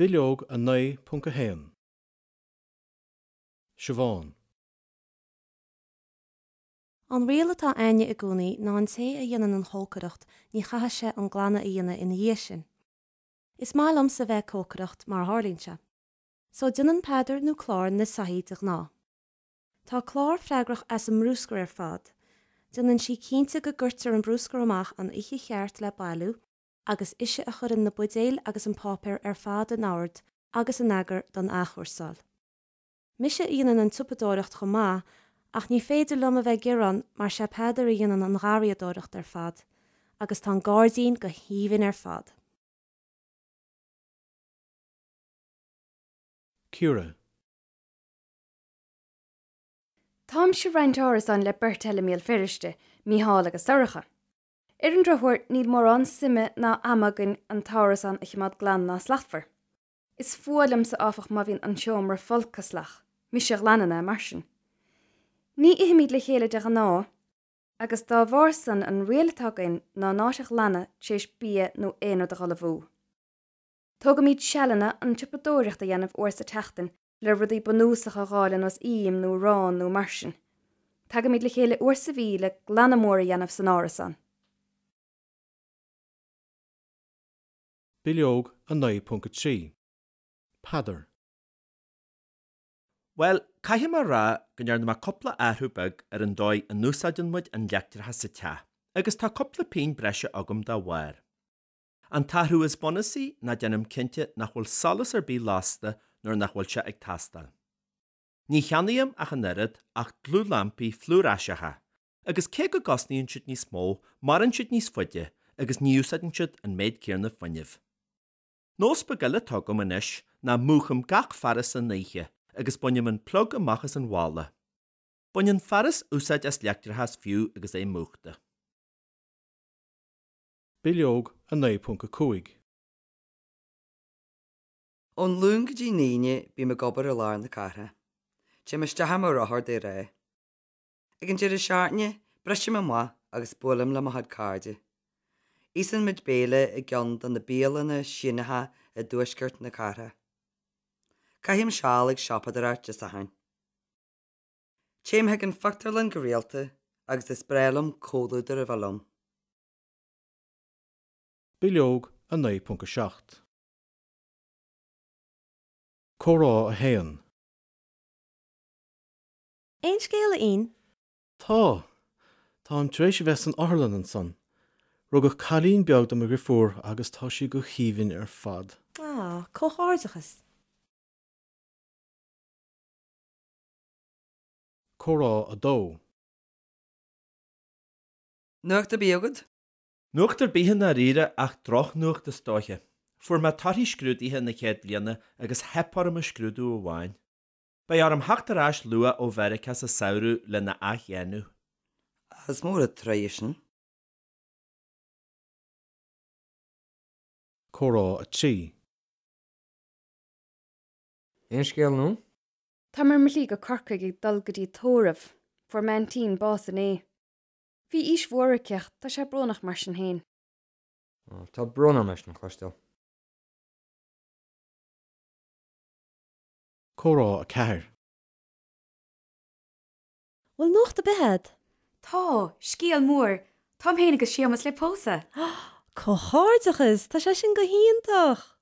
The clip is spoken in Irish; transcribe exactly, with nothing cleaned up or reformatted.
Bileog a naoi ponc a haon. Siobhán. An riail atá againne i gcónaí ná an té a dhéanann an chócaireacht ní chaithfidh sé an glanadh a dhéanamh ina dhiaidh sin. Is maith liomsa bheith ag cócaireacht mar a tharlaíonn sé. So déanann Peadar nó Clár na soithí de ghnáth. Tá Clár freagrach as an mbrúscar ar fad. Déanann sí cinnte go gcuirtear an brúscar amach an oíche cheart le bailiú agus ise a chuireann na buidéil agus an páipéar ar fad in ord agus in eagar don athchúrsáil. Mise a dhéanann an tsiopadóireacht chomh maith ach ní féidir liom a bheith ag gearán mar sé Peadar a dhéanann an gharraíodóireacht ar fad agus tá an gairdín go haoibhinn ar fad. Ciara. Táimse ag roinnt árasáin le beirt eile i mBéal Feirste, Mícheál agus Sorcha. Ar an drochuair, níl mórán suime ná ama againn an t-árasán a choimeád glan ná slachtmhar. Is fuath liomsa áfach má bhíonn an seomra folctha salach, mise a ghlanann é mar sin. Ní ithimid le chéile de ghnáth, agus dá bharr san an riail atá againn ná an áit a ghlanadh tar éis bia nó aon rud a dhul amú. Tógaimid sealanna an tsiopadóireacht a dhéanamh uair sa tseachtain le rudaí bunúsacha a dh'fháil ar nós im nó arán nó mar sin. Tagaimid le chéile uair sa mhí le glanadh mór a dhéanamh san árasán. Bileog a naoi ponc a trí. Peadar. Bhuel, caithfidh mé a rá go ndearna mé cúpla athrú beag ar an dóigh a n-úsáideann muid an leictreachas sa teach, agus tá cúpla pingin breise agam dá bharr. An t-athrú is bunúsaí ná déanaim cinnte nach bhfuil solas ar bith lasta nuair nach bhfuil sé ag teastáil. Ní cheannaím ach an oiread ach dlúthlampaí fluaraiseacha, agus cé go gcosnaíonn siad níos mó, maireann siad níos faide agus ní úsáideann siad an méid céanna fuinnimh. Nós beag eile atá agam anois ná múchaim gach fearas san oíche agus bainim an plug amach as an bhalla. Baineann fearas úsáid as leictreachas fiú agus é múchta. Bileog a naoi ponc a cúig. Ón Luan go dtí an Aoine bím ag obair i lár na cathrach. Téim isteach ar mo rothar de ghnáth. Ag an deireadh seachtaine, brisim amach agus buailim le mo chuid cairde. Íosann muid béile i gceann de na bialanna Síneacha i dtuaisceart na cathrach. Caithim seal ag siopadóireacht Dé Sathairn. Téim chuig an phictiúrlann go rialta agus is breá liom comhluadar a bheith liom. Bileog a naoi ponc a seacht. Comhrá a haon. Aon scéal, a Fhinn? Tá. Táim tar éis a bheith san otharlann ansan. Rugadh cailín beag do mo dheirfiúr agus tá sí go haoibhinn ar fad. Ah, comhghairdeachas. Comhrá a dó. Nuacht ar bith agat? Nuacht ar bith i ndáiríre ach drochnuacht is dóiche. Fuair mé torthaí scrúduithe na chéad bhliana agus theip orm i scrúdú amháin. Beidh orm theacht ar ais luath ó Mheiriceá sa samhradh lena athdhéanamh. Is mór an trua é sin. Comhrá a trí. Aon scéal nua? Táim ar mo shlí go Corcaigh ag dul go dtí tórramh. Fuair m'aintín bás inné. Bhí aois mhór aici ach tá sé brónach mar sin féin. Tá brón orm é sin a chloisteáil. Comhrá a ceathair. Bhfuil nuacht ar bith agat? Tá, scéal mór, táim féin agus Séamus le pósadh. Comhghairdeachas, tá sé sin go hiontach!